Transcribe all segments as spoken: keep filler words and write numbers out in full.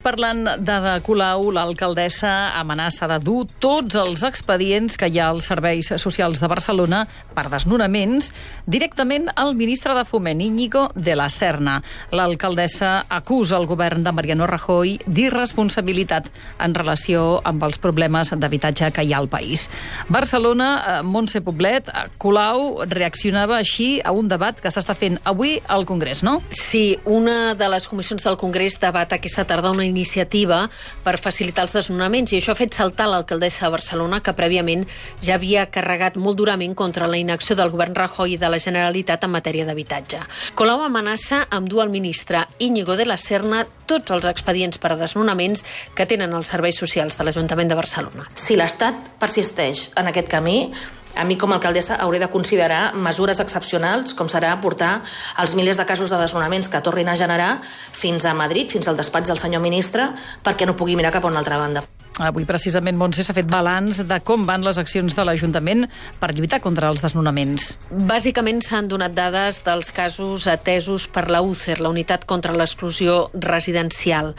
parlant d'Ada Colau, l'alcaldessa amenaça de dur tots els expedients que hi ha als serveis socials de Barcelona per desnonaments directament al ministre de Foment, Íñigo de la Serna. L'alcaldessa acusa el govern de Mariano Rajoy d'irresponsabilitat en relació amb els problemes d'habitatge que hi ha al país. Barcelona, Montse Poblet, Colau reaccionava així a un debat que s'està fent avui al Congrés, no? Sí, una de les comissions del Congrés debat aquesta tarda una iniciativa per facilitar els desnonaments i això ha fet saltar l'alcaldessa de Barcelona, que prèviament ja havia carregat molt durament contra la inacció del govern Rajoy i de la Generalitat en matèria d'habitatge. Colau amenaça amb dur al ministre Íñigo de la Serna tots els expedients per a desnonaments que tenen els serveis socials de l'Ajuntament de Barcelona. Si l'Estat persisteix en aquest camí, a mi com a alcaldessa hauré de considerar mesures excepcionals, com serà portar els milers de casos de desnonaments que tornin a generar fins a Madrid, fins al despatx del senyor ministre, perquè no pugui mirar cap a una altra banda. Avui, precisament, Montse, s'ha fet balanç de com van les accions de l'Ajuntament per lluitar contra els desnonaments. Bàsicament s'han donat dades dels casos atesos per la U C E R, la Unitat contra l'Exclusió Residencial.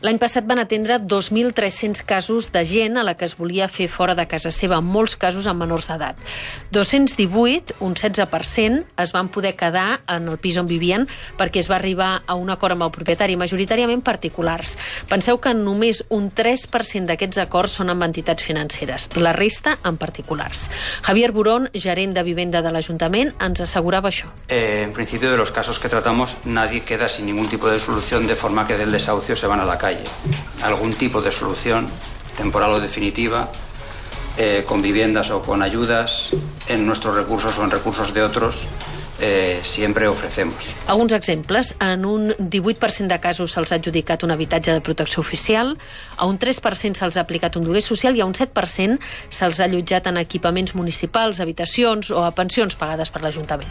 L'any passat van atendre dos mil tres-cents casos de gent a la que es volia fer fora de casa seva, en molts casos amb menors d'edat. dos-cents divuit, un setze per cent, es van poder quedar en el pis on vivien perquè es va arribar a un acord amb el propietari, majoritàriament particulars. Penseu que només un tres per cent d'aquests acords són amb entitats financeres, la resta en particulars. Javier Burón, gerent de Vivenda de l'Ajuntament, ens assegurava això. Eh, en principio, de los casos que tratamos, nadie queda sin ningún tipo de solución, de forma que del desahucio se van a la calle. Algún tipo de solución, temporal o definitiva, eh, con viviendas o con ayudas, en nuestros recursos o en recursos de otros, Eh, siempre ofrecemos. Alguns exemples. En un divuit per cent de casos se'ls ha adjudicat un habitatge de protecció oficial, a un tres per cent se'ls ha aplicat un lloguer social i a un set per cent se'ls ha allotjat en equipaments municipals, habitacions o a pensions pagades per l'Ajuntament.